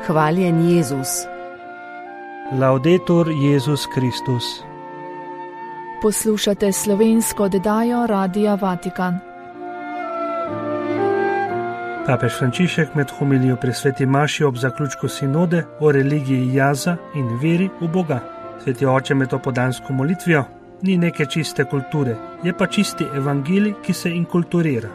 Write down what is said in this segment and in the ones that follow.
Hvaljen Jezus. Laudetur Jezus Kristus. Poslušate slovensko oddajo Radia Vatikan. Papež Frančišek med homilijo pri sveti maši ob zaključku sinode o religiji jaza in veri v Boga. Sveti oče med opodansko molitvijo ni neke čiste kulture, je pa čisti evangelij, ki se inkulturira.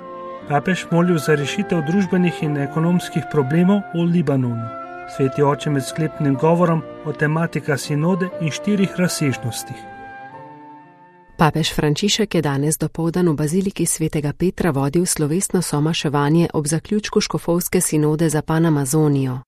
Papež molil za rešitev družbenih in ekonomskih problemov v Libanonu. Sveti oče med sklepnim govorom o tematika sinode in 4 razsežnostih. Papež Frančišek je danes dopoldan v baziliki svetega Petra vodil slovesno somaševanje ob zaključku škofovske sinode za Panamazonijo.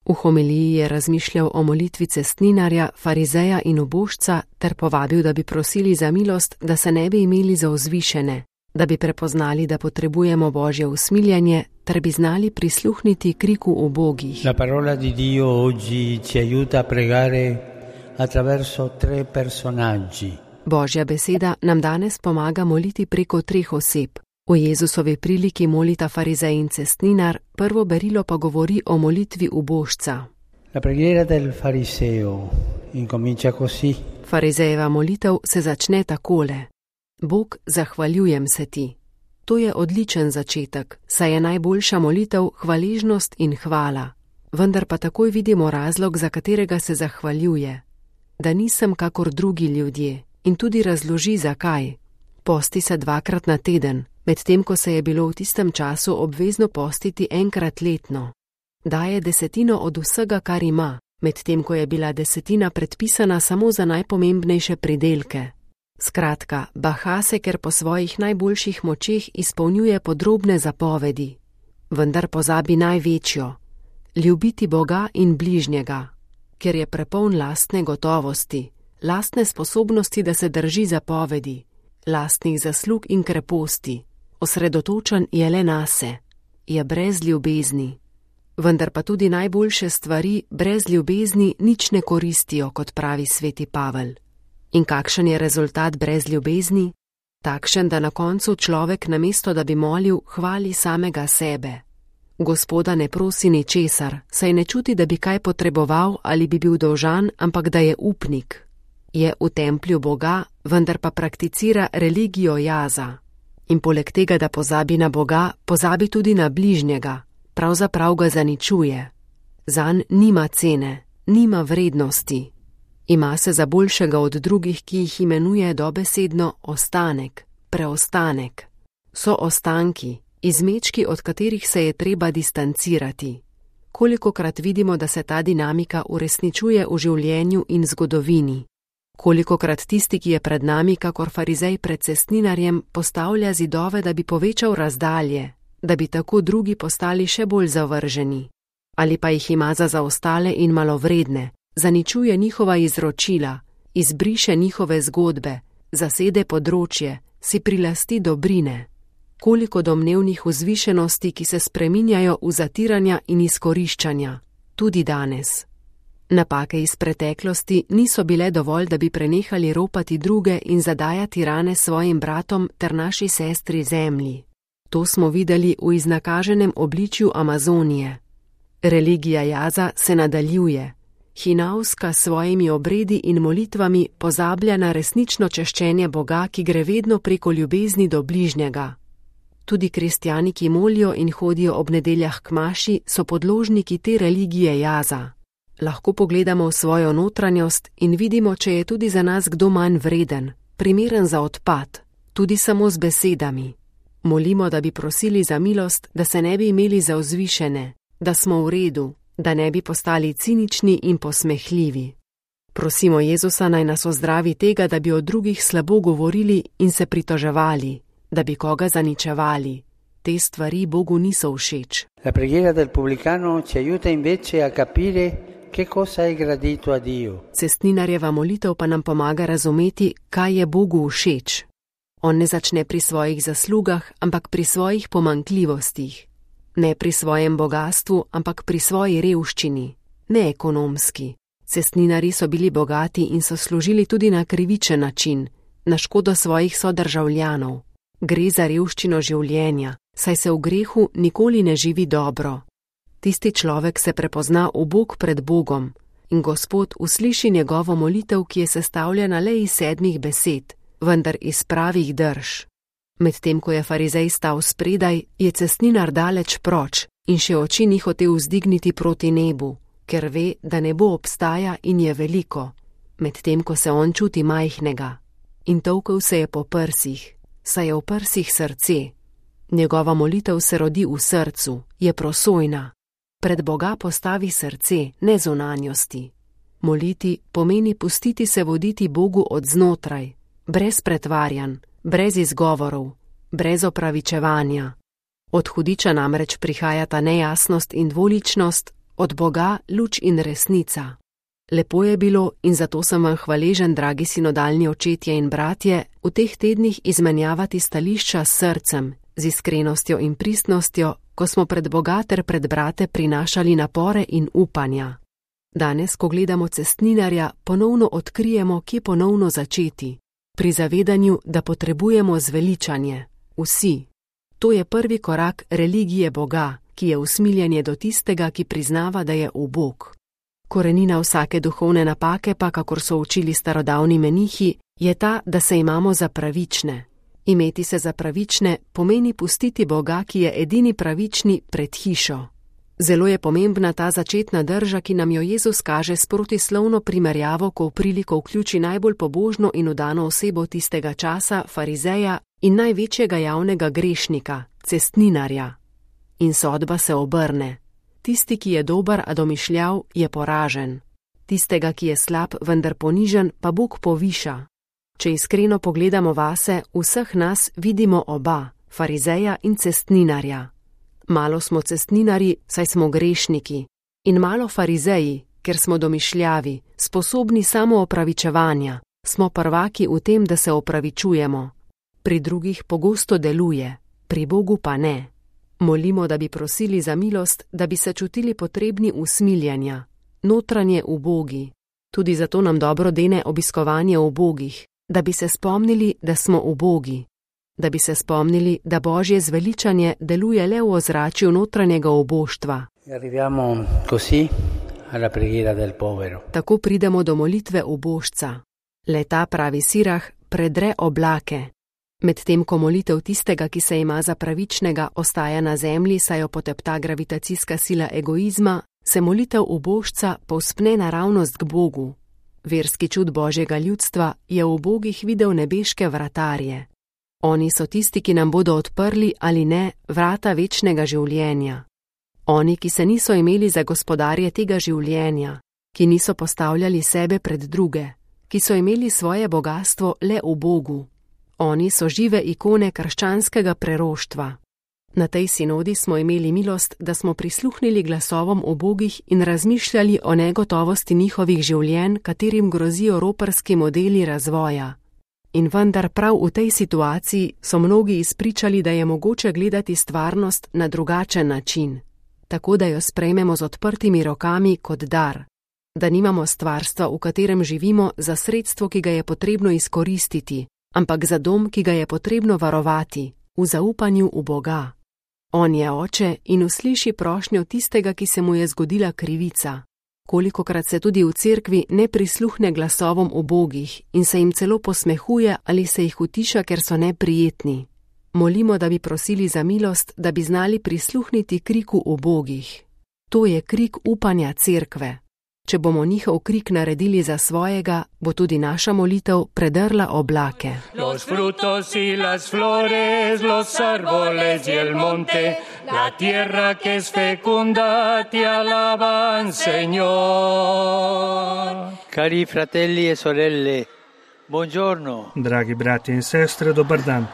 V homiliji je razmišljal o molitvi cestninarja, farizeja in ubožca ter povabil, da bi prosili za milost, da se ne bi imeli za vzvišene, da bi prepoznali, da potrebujemo Božje usmiljanje ter bi znali prisluhniti kriku ubogih. La parola di Dio oggi ci aiuta a pregare attraverso 3 personaggi. Božja beseda nam danes pomaga moliti preko 3 oseb. V Jezusovi priliki molita farizej in cestninar, prvo berilo pa govori o molitvi ubožca. La preghiera del fariseo incomincia così. Farizejeva molitev se začne takole: Bog, zahvaljujem se ti. To je odličen začetek, saj je najboljša molitev hvaležnost in hvala. Vendar pa takoj vidimo razlog, za katerega se zahvaljuje. Da nisem kakor drugi ljudje. In tudi razloži, zakaj. Posti se 2-krat na teden, medtem ko se je bilo v tistem času obvezno postiti enkrat letno. Daje 10% od vsega, kar ima, medtem ko je bila 10% predpisana samo za najpomembnejše pridelke. Skratka, baha se, ker po svojih najboljših močeh izpolnjuje podrobne zapovedi. Vendar pozabi največjo: ljubiti Boga in bližnjega, ker je prepoln lastne gotovosti, lastne sposobnosti, da se drži zapovedi, lastnih zaslug in kreposti. Osredotočen je le nase, je brez ljubezni. Vendar pa tudi najboljše stvari brez ljubezni nič ne koristijo, kot pravi sveti Pavel. In kakšen je rezultat brez ljubezni? Takšen, da na koncu človek, namesto da bi molil, hvali samega sebe. Gospoda ne prosi ničesar, saj ne čuti, da bi kaj potreboval ali bi bil dolžan, ampak da je upnik. Je v templju Boga, vendar pa prakticira religijo jaza. In poleg tega, da pozabi na Boga, pozabi tudi na bližnjega, pravzaprav ga zaničuje. Zanj nima cene, nima vrednosti. Ima se za boljšega od drugih, ki jih imenuje dobesedno ostanek, preostanek. So ostanki, izmečki, od katerih se je treba distancirati. Kolikokrat vidimo, da se ta dinamika uresničuje v življenju in zgodovini. Kolikokrat tisti, ki je pred nami, kakor farizej pred cestninarjem, postavlja zidove, da bi povečal razdalje, da bi tako drugi postali še bolj zavrženi. Ali pa jih ima za zaostale in malovredne, zaničuje njihova izročila, izbriše njihove zgodbe, zasede področje, si prilasti dobrine. Koliko domnevnih vzvišenosti, ki se spreminjajo v zatiranja in izkoriščanja, tudi danes. Napake iz preteklosti niso bile dovolj, da bi prenehali ropati druge in zadajati rane svojim bratom ter naši sestri zemlji. To smo videli v iznakaženem obličju Amazonije. Religija jaza se nadaljuje. Hinavska s svojimi obredi in molitvami pozablja na resnično češčenje Boga, ki gre vedno preko ljubezni do bližnjega. Tudi kristjani, ki molijo in hodijo ob nedeljah k maši, so podložniki te religije jaza. Lahko pogledamo v svojo notranjost in vidimo, če je tudi za nas kdo manj vreden, primeren za odpad, tudi samo z besedami. Molimo, da bi prosili za milost, da se ne bi imeli za vzvišene, da smo v redu, da ne bi postali cinični in posmehljivi. Prosimo Jezusa, naj nas ozdravi tega, da bi o drugih slabo govorili in se pritoževali, da bi koga zaničevali. Te stvari Bogu niso všeč. La preghiera del pubblicano ci aiuta invece a capire che cosa è gradito a Dio. Cestninarjeva molitev pa nam pomaga razumeti, kaj je Bogu všeč. On ne začne pri svojih zaslugah, ampak pri svojih pomanjkljivostih. Ne pri svojem bogastvu, ampak pri svoji revščini. Ne ekonomski. Cestninarji so bili bogati in so služili tudi na krivičen način, na škodo svojih sodržavljanov. Gre za revščino življenja, saj se v grehu nikoli ne živi dobro. Tisti človek se prepozna ubog pred Bogom in Gospod usliši njegovo molitev, ki je sestavljena le iz 7 besed, vendar iz pravih drž. Medtem ko je farizej stal spredaj, je cestninar daleč proč in še oči ni hotel vzdigniti proti nebu, ker ve, da nebo obstaja in je veliko, medtem ko se on čuti majhnega. In tolkel se je po prsih, saj je v prsih srce. Njegova molitev se rodi v srcu, je prosojna. Pred Boga postavi srce, ne zunanjosti. Moliti pomeni pustiti se voditi Bogu od znotraj, brez pretvarjanj, brez izgovorov, brez opravičevanja. Od hudiča namreč prihajata nejasnost in dvoličnost, od Boga luč in resnica. Lepo je bilo in zato sem vam hvaležen, dragi sinodalni očetje in bratje, v teh tednih izmenjavati stališča s srcem, z iskrenostjo in pristnostjo, ko smo pred Boga ter pred brate prinašali napore in upanja. Danes, ko gledamo cestninarja, ponovno odkrijemo, kje ponovno začeti. Pri zavedanju, da potrebujemo zveličanje. Vsi. To je prvi korak religije Boga, ki je usmiljenje do tistega, ki priznava, da je ubog. Korenina vsake duhovne napake pa, kakor so učili starodavni menihi, je ta, da se imamo za pravične. Imeti se za pravične pomeni pustiti Boga, ki je edini pravični, pred hišo. Zelo je pomembna ta začetna drža, ki nam jo Jezus kaže s protislovno primerjavo, ko v priliko vključi najbolj pobožno in vdano osebo tistega časa, farizeja in največjega javnega grešnika, cestninarja. In sodba se obrne. Tisti, ki je dober, a domišljav, je poražen. Tistega, ki je slab, vendar ponižen, pa Bog poviša. Če iskreno pogledamo vase, vseh nas vidimo oba, farizeja in cestninarja. Malo smo cestninarji, saj smo grešniki, in malo farizeji, ker smo domišljavi, sposobni samo opravičevanja, smo prvaki v tem, da se opravičujemo. Pri drugih pogosto deluje, pri Bogu pa ne. Molimo, da bi prosili za milost, da bi se čutili potrebni usmiljenja, notranje ubogi. Tudi zato nam dobro dene obiskovanje ubogih, da bi se spomnili, da smo ubogi. Da bi se spomnili, da Božje zveličanje deluje le v ozračju notranjega uboštva. Tako pridemo do molitve ubožca. Le ta, pravi Sirah, predre oblake. Medtem ko molitev tistega, ki se ima za pravičnega, ostaja na zemlji, saj jo potepta gravitacijska sila egoizma, se molitev ubožca povzpne naravnost k Bogu. Verski čud Božjega ljudstva je v ubogih videl nebeške vratarje. Oni so tisti, ki nam bodo odprli ali ne vrata večnega življenja. Oni, ki se niso imeli za gospodarje tega življenja, ki niso postavljali sebe pred druge, ki so imeli svoje bogastvo le v Bogu. Oni so žive ikone krščanskega preroštva. Na tej sinodi smo imeli milost, da smo prisluhnili glasovom ubogih in razmišljali o negotovosti njihovih življenj, katerim grozijo roparski modeli razvoja. In vendar prav v tej situaciji so mnogi izpričali, da je mogoče gledati stvarnost na drugačen način, tako da jo sprejmemo z odprtimi rokami kot dar, da nimamo stvarstva, v katerem živimo, za sredstvo, ki ga je potrebno izkoristiti, ampak za dom, ki ga je potrebno varovati, v zaupanju v Boga. On je oče in usliši prošnjo tistega, ki se mu je zgodila krivica. Kolikokrat se tudi v cerkvi ne prisluhne glasovom ubogih in se jim celo posmehuje ali se jih utiša, ker so neprijetni. Molimo, da bi prosili za milost, da bi znali prisluhniti kriku ubogih. To je krik upanja cerkve. Če bomo njihov krik naredili za svojega, bo tudi naša molitev predrla oblake. Los frutos y las flores, los árboles y el monte, la tierra que es fecunda te alaban, Señor. Cari fratelli e sorelle, buongiorno. Dragi brati in sestre, dobar dan.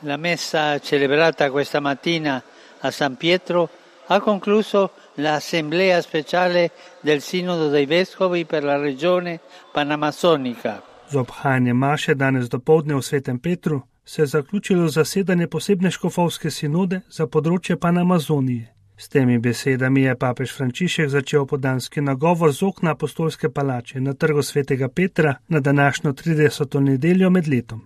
La messa celebrata questa mattina a San Pietro ha concluso l'assemblea speciale del Sinodo dei Vescovi per la regione panamasonica. Z obhajanjem maše danes dopoldne v Svetem Petru se je zaključilo zasedanje posebne škofovske sinode za področje Panamazonije. S temi besedami je papež Frančišek začel opoldanski nagovor z okna apostolske palače na trgu svetega Petra na današnjo 30. nedeljo med letom.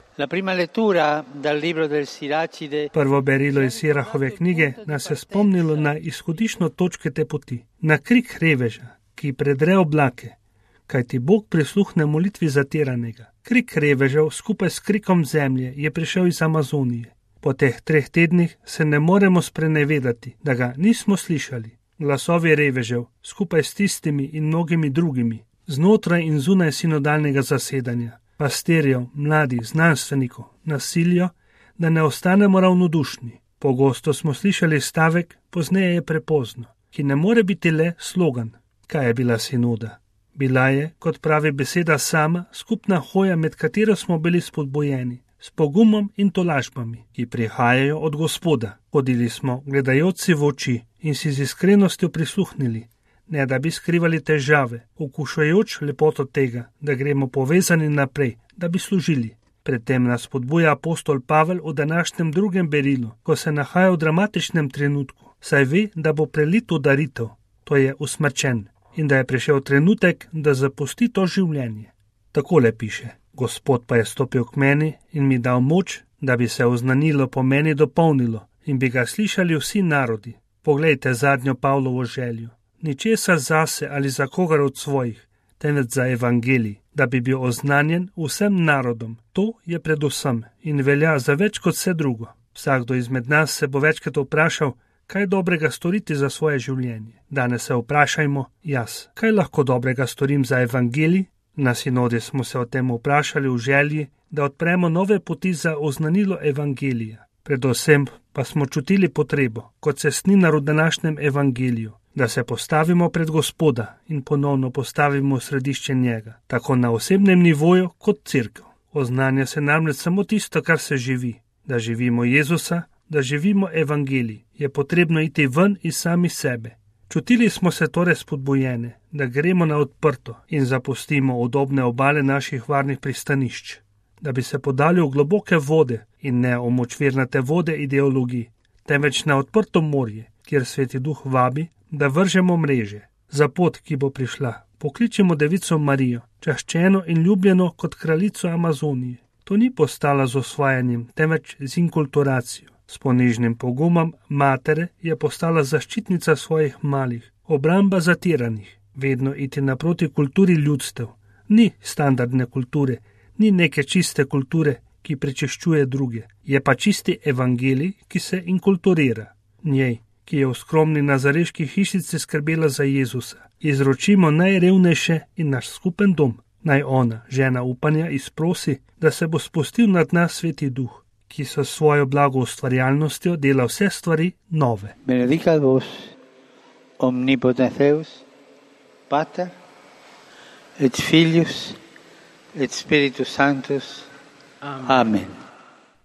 Prvo berilo iz Sirahove knjige nas je spomnilo na izhodiščno točke te poti, na krik reveža, ki predre oblake, kajti Bog prisluhne molitvi zatiranega. Krik revežev skupaj s krikom zemlje je prišel iz Amazonije. Po teh 3 tednih se ne moremo sprenevedati, da ga nismo slišali. Glasovi revežev, skupaj s tistimi in mnogimi drugimi, znotraj in zunaj sinodalnega zasedanja, pastirjev, mladih, znanstvenikov, nasilijo, da ne ostanemo ravnodušni. Pogosto smo slišali stavek, pozneje je prepozno, ki ne more biti le slogan. Kaj je bila sinoda? Bila je, kot pravi beseda sama, skupna hoja, med katero smo bili spodbojeni, s pogumom in tolažbami, ki prihajajo od Gospoda. Hodili smo, gledajoči v oči in si z iskrenostjo prisluhnili, ne da bi skrivali težave, okušajoč lepoto tega, da gremo povezani naprej, da bi služili. Predtem nas spodbuja apostol Pavel v današnjem drugem berilu, ko se nahaja v dramatičnem trenutku, saj ve, da bo prelit v daritev, to je usmrčen, in da je prišel trenutek, da zapusti to življenje. Takole piše: Gospod pa je stopil k meni in mi dal moč, da bi se oznanilo po meni dopolnilo in bi ga slišali vsi narodi. Poglejte zadnjo Pavlovo željo. Ničesar zase ali za kogar od svojih, temveč za evangelij, da bi bil oznanjen vsem narodom. To je predvsem in velja za več kot vse drugo. Vsakdo izmed nas se bo večkrat vprašal, kaj dobrega storiti za svoje življenje. Danes se vprašajmo jaz, kaj lahko dobrega storim za evangelij. Na sinodi smo se o tem vprašali v želji, da odpremo nove poti za oznanilo evangelija. Predvsem pa smo čutili potrebo, kot cestninar v današnjem evangeliju, da se postavimo pred Gospoda in ponovno postavimo v središče njega, tako na osebnem nivoju kot cerkev. Oznanja se namreč samo tisto, kar se živi. Da živimo Jezusa, da živimo evangelij, je potrebno iti ven iz sami sebe. Čutili smo se torej spodbujene, da gremo na odprto in zapustimo udobne obale naših varnih pristanišč, da bi se podali v globoke vode in ne v močvirnate vode ideologij, temveč na odprto morje, kjer Sveti Duh vabi, da vržemo mreže. Za pot, ki bo prišla, pokličemo Devico Marijo, čaščeno in ljubljeno kot kraljico Amazonije. To ni postala z osvajanjem, temveč z inkulturacijo. S ponižnim pogumom matere je postala zaščitnica svojih malih, obramba zatiranih, vedno iti naproti kulturi ljudstev. Ni standardne kulture, ni neke čiste kulture, ki prečiščuje druge, je pa čisti evangelij, ki se inkulturira. Njej, ki je v skromni nazareški hišici skrbela za Jezusa, izročimo najrevnejše in naš skupen dom. Naj ona, žena upanja, izprosi, da se bo spustil nad nas Sveti Duh, ki so svojo blagoustvarjalnostjo dela vse stvari nove. Benedicat vos, omnipotens Deus, Pater, et Filius, et Spiritus Sanctus. Amen.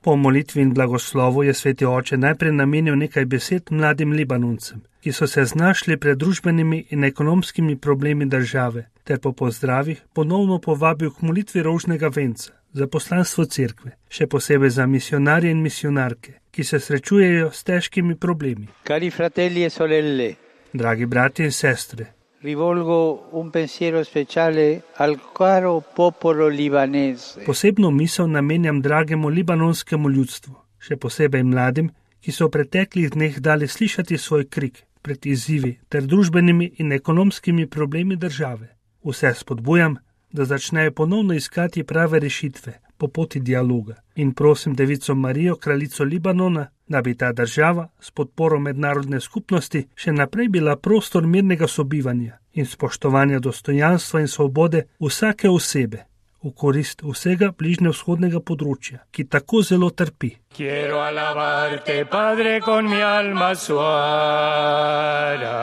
Po molitvi in blagoslovu je Sveti Oče najprej namenil nekaj besed mladim Libanoncem, ki so se znašli pred družbenimi in ekonomskimi problemi države, ter po pozdravih ponovno povabil k molitvi rožnega venca za poslanstvo cerkve, še posebej za misionarje in misionarke, ki se srečujejo s težkimi problemi. Cari fratelli e sorelle, dragi bratje in sestre, rivolgo un pensiero speciale al caro popolo libanese. Posebno misel namenjam dragemu libanonskemu ljudstvu, še posebej mladim, ki so v preteklih dneh dali slišati svoj krik pred izzivi ter družbenimi in ekonomskimi problemi države. Vse spodbujam, da začnejo ponovno iskati prave rešitve po poti dialoga in prosim Devico Marijo, kraljico Libanona, da bi ta država s podporo mednarodne skupnosti še naprej bila prostor mirnega sobivanja in spoštovanja dostojanstva in svobode vsake osebe v korist vsega bližnjevzhodnega področja, ki tako zelo trpi. Quiero alabarte, Padre, con mi alma suara.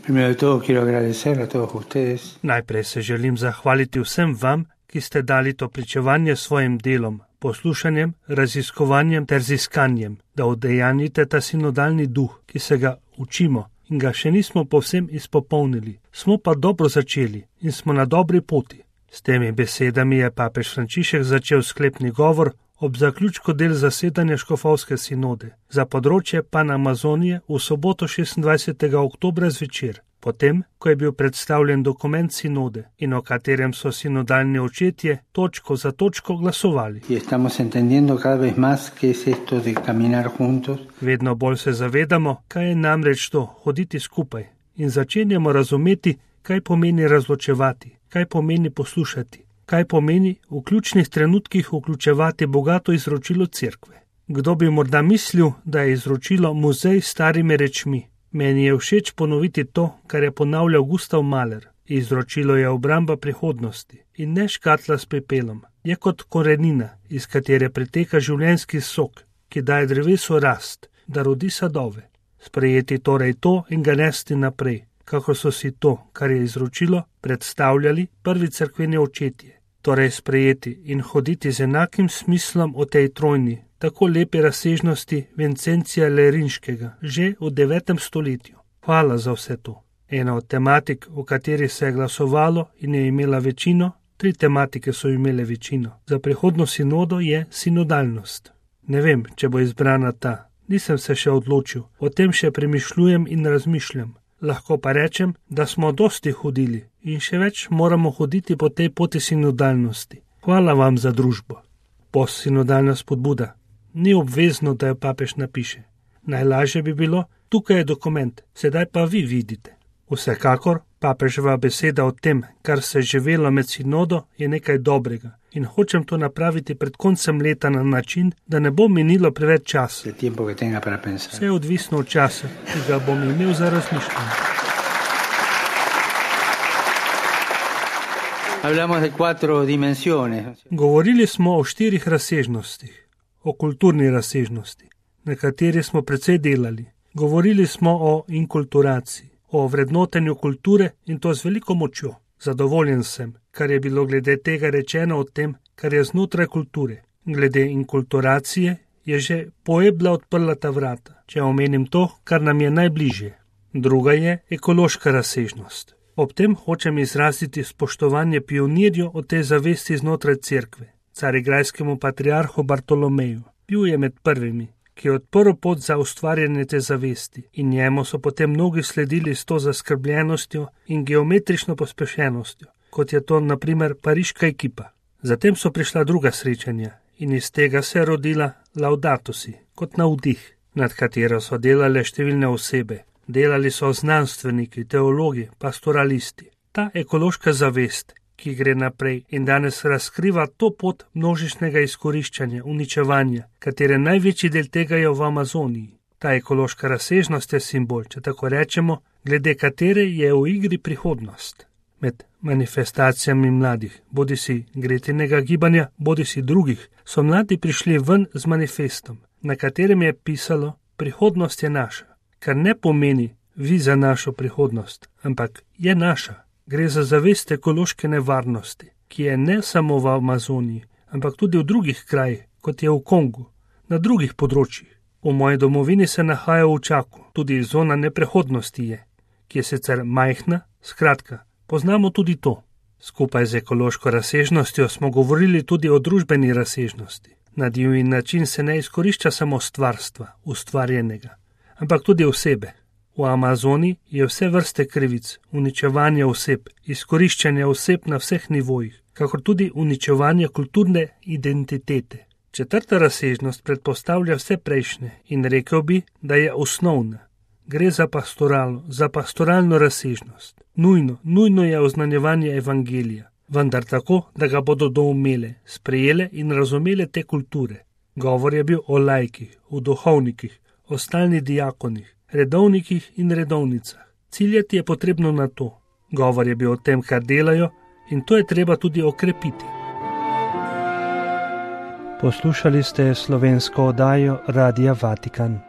Primero de todo quiero agradecer a todos ustedes. Najprej se želim zahvaliti vsem vam, ki ste dali to pričevanje svojim delom, poslušanjem, raziskovanjem ter ziskanjem, da udejanjite ta sinodalni duh, ki se ga učimo in ga še nismo povsem izpopolnili. Smo pa dobro začeli in smo na dobri poti. S temi besedami je papež Frančišek začel sklepni govor ob zaključku del zasedanja škofovske sinode za področje Panamazonije v soboto 26. oktobra zvečer, potem, ko je bil predstavljen dokument sinode in o katerem so sinodalni očetje točko za točko glasovali. Vedno bolj se zavedamo, kaj je namreč to hoditi skupaj in začenjamo razumeti, kaj pomeni razločevati, kaj pomeni poslušati, kaj pomeni v ključnih trenutkih vključevati bogato izročilo cerkve. Kdo bi morda mislil, da je izročilo muzej s starimi rečmi? Meni je všeč ponoviti to, kar je ponavljal Gustav Mahler. Izročilo je obramba prihodnosti in ne škatla s pepelom. Je kot korenina, iz katere preteka življenjski sok, ki daje drevesu rast, da rodi sadove. Sprejeti torej to in ga nesti naprej, kako so si to, kar je izročilo, predstavljali prvi cerkveni očetje. Torej sprejeti in hoditi z enakim smislom o tej trojni, tako lepe razsežnosti Vincencija Lerinškega, že v 9. stoletju. Hvala za vse to. Ena od tematik, o kateri se je glasovalo in je imela večino, 3 tematike so imele večino. Za prihodno sinodo je sinodalnost. Ne vem, če bo izbrana ta. Nisem se še odločil. O tem še premišljujem in razmišljam. Lahko pa rečem, da smo dosti hodili in še več moramo hoditi po tej poti sinodalnosti. Hvala vam za družbo. Postsinodalna spodbuda. Ni obvezno, da jo papež napiše. Najlažje bi bilo, tukaj je dokument, sedaj pa vi vidite. Vsekakor, papeževa beseda o tem, kar se je živelo med sinodo, je nekaj dobrega in hočem to napraviti pred koncem leta na način, da ne bo minilo preveč časa. Vse je odvisno od časa, ki ga bom imel za razmišljanje. Govorili smo o 4 razsežnostih, o kulturni razsežnosti, na kateri smo precej delali. Govorili smo o inkulturaciji, o vrednotenju kulture in to z veliko močjo. Zadovoljen sem, kar je bilo glede tega rečeno o tem, kar je znotraj kulture. Glede inkulturacije je že Puebla odprla ta vrata, če omenim to, kar nam je najbližje. Druga je ekološka razsežnost. Ob tem hočem izraziti spoštovanje pionirju o tej zavesti znotraj cerkve, carigrajskemu patriarhu Bartolomeju. Bil je med prvimi, ki je odprl pot za ustvarjanje te zavesti in njemu so potem mnogi sledili s to zaskrbljenostjo in geometrično pospešenostjo, kot je to na primer pariška ekipa. Zatem so prišla druga srečanja in iz tega se je rodila Laudato si, kot navdih, nad katero so delale številne osebe. Delali so znanstveniki, teologi, pastoralisti. Ta ekološka zavest, ki gre naprej in danes razkriva to pot množičnega izkoriščanja, uničevanja, katere največji del tega je v Amazoniji. Ta ekološka razsežnost je simbol, če tako rečemo, glede katere je v igri prihodnost. Med manifestacijami mladih, bodisi Gretinega gibanja, bodisi drugih, so mladi prišli ven z manifestom, na katerem je pisalo: prihodnost je naša, kar ne pomeni vi za našo prihodnost, ampak je naša. Gre za zavest ekološke nevarnosti, ki je ne samo v Amazoniji, ampak tudi v drugih krajih, kot je v Kongu, na drugih področjih. V moji domovini se nahaja v Čaku, tudi zona neprehodnosti je, ki je sicer majhna, skratka, poznamo tudi to. Skupaj z ekološko razsežnostjo smo govorili tudi o družbeni razsežnosti. Na divji način se ne izkorišča samo stvarstva, ustvarjenega, ampak tudi osebe. V Amazoniji je vse vrste krivic, uničevanje oseb, izkoriščanje oseb na vseh nivojih, kakor tudi uničevanje kulturne identitete. 4. razsežnost predpostavlja vse prejšnje in rekel bi, da je osnovna. Gre za pastoralno razsežnost. Nujno je oznanjevanje evangelija, vendar tako, da ga bodo doumele, sprejele in razumele te kulture. Govor je bil o laikih, o duhovnikih, o stalnih diakonih, redovnikih in redovnicah. Ciljati je potrebno na to. Govor je bil o tem, kar delajo, in to je treba tudi okrepiti. Poslušali ste slovensko oddajo Radia Vatikan.